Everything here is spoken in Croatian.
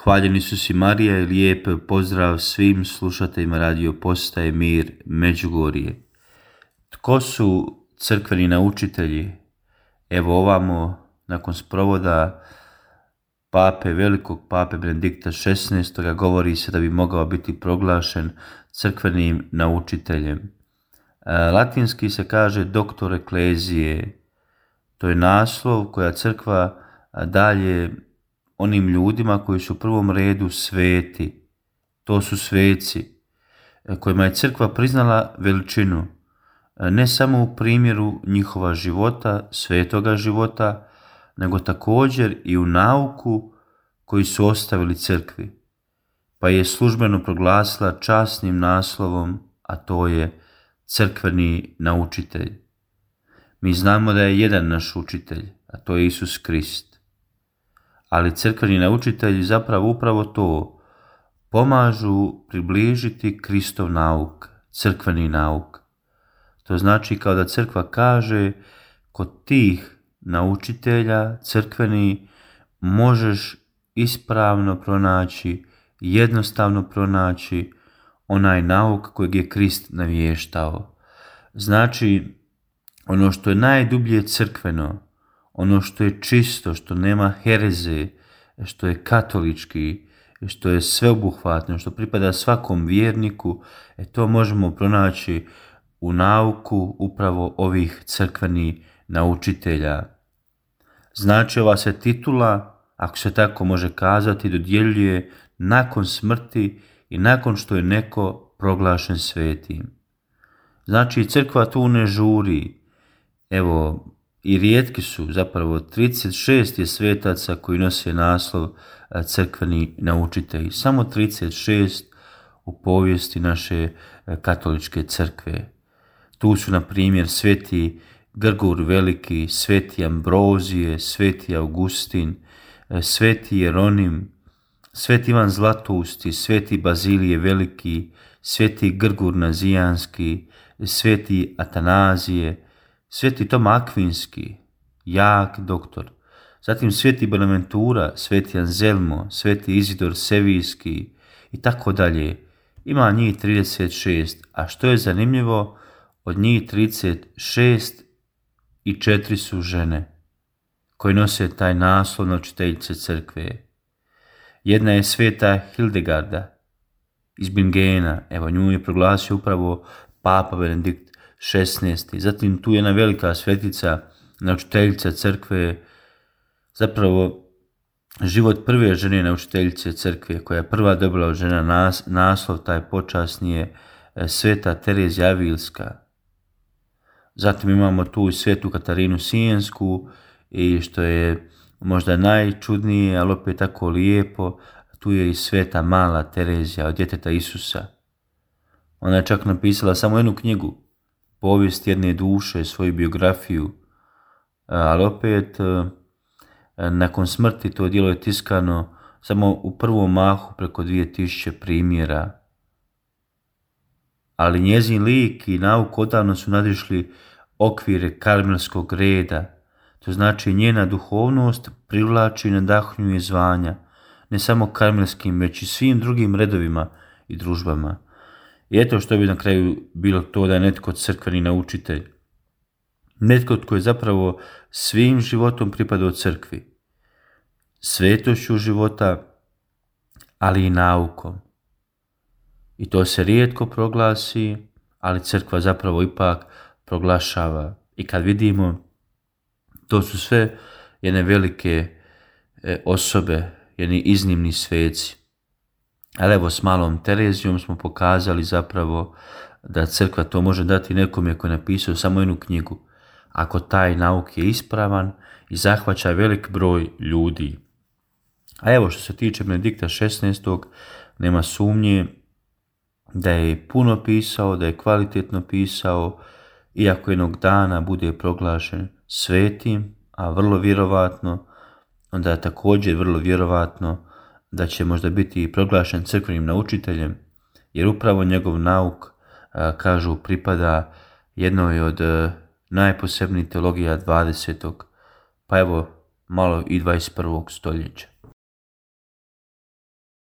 Hvaljeni Isus i Marija i lijep pozdrav svim slušateljima Radio Postaje Mir Međugorje. Tko su crkveni naučitelji? Evo ovamo, nakon sprovoda velikog pape Benedikta XVI. Govori se da bi mogao biti proglašen crkvenim naučiteljem. Latinski se kaže doktor eklezije. To je naslov koja crkva dalje onim ljudima koji su u prvom redu sveti. To su sveci kojima je crkva priznala veličinu, ne samo u primjeru njihova života, svetoga života, nego također i u nauku koju su ostavili crkvi, pa je službeno proglasila časnim naslovom, a to je crkveni naučitelj. Mi znamo da je jedan naš učitelj, a to je Isus Krist. Ali crkveni naučitelji zapravo upravo to pomažu približiti Kristov nauk, crkveni nauk. To znači kao da crkva kaže, kod tih naučitelja crkveni možeš ispravno pronaći, jednostavno pronaći onaj nauk kojeg je Krist navještao. Znači, ono što je najdublje crkveno, ono što je čisto, što nema hereze, što je katolički, što je sveobuhvatno, što pripada svakom vjerniku, to možemo pronaći u nauku upravo ovih crkvenih naučitelja. Znači, ova se titula, ako se tako može kazati, dodjeljuje nakon smrti i nakon što je neko proglašen svetim. Znači, crkva tu ne žuri. Evo, i rijetki su, zapravo 36 je svetaca koji nose naslov crkveni naučitelji. Samo 36 u povijesti naše katoličke crkve. Tu su, na primjer, sveti Grgur Veliki, sveti Ambrozije, sveti Augustin, sveti Jeronim, sveti Ivan Zlatousti, sveti Bazilije Veliki, sveti Grgur Nazijanski, sveti Atanazije, sveti Toma Akvinski, jak doktor, zatim sveti Bonaventura, sveti Anzelmo, sveti Izidor Sevijski i tako dalje. Ima njih 36, a što je zanimljivo, od njih 36 i 4 su žene koje nose taj naslov naučiteljice crkve. Jedna je sveta Hildegarda iz Bingena, evo nju je proglasio upravo papa Benedikt XVI. Zatim tu je jedna velika svetica, naučiteljica crkve, zapravo život prve žene naučiteljice crkve, koja je prva dobila od žena naslov, taj počasni je sveta Terezija Avilska. Zatim imamo tu i svetu Katarinu Sijensku i što je možda najčudnije, ali opet tako lijepo, tu je i sveta mala Terezija od djeteta Isusa. Ona je čak napisala samo jednu knjigu, povijest jedne duše, svoju biografiju, ali opet nakon smrti to djelo je tiskano samo u prvom mahu preko 2000 primjera. Ali njezin lik i nauk odavno su nadišli okvire karmelskog reda. To znači njena duhovnost privlači i nadahnjuje zvanja, ne samo karmelskim, već i svim drugim redovima i družbama. I eto što bi na kraju bilo to da je netko crkveni naučitelj. Netko tko je zapravo svim životom pripadao crkvi. Svetošću života, ali i naukom. I to se rijetko proglasi, ali crkva zapravo ipak proglašava. I kad vidimo, to su sve jedne velike osobe, jedni iznimni sveci. Ali evo, s malom Terezijom smo pokazali zapravo da crkva to može dati nekome koji je napisao samo jednu knjigu, ako taj nauk je ispravan i zahvaća velik broj ljudi. A evo, što se tiče Benedikta XVI, nema sumnje da je puno pisao, da je kvalitetno pisao, iako jednog dana bude proglašen svetim, a vrlo vjerovatno, onda je također vrlo vjerovatno da će možda biti proglašen crkvenim naučiteljem, jer upravo njegov nauk, kažu, pripada jednoj od najposebnijih teologija 20. pa evo malo i 21. stoljeća.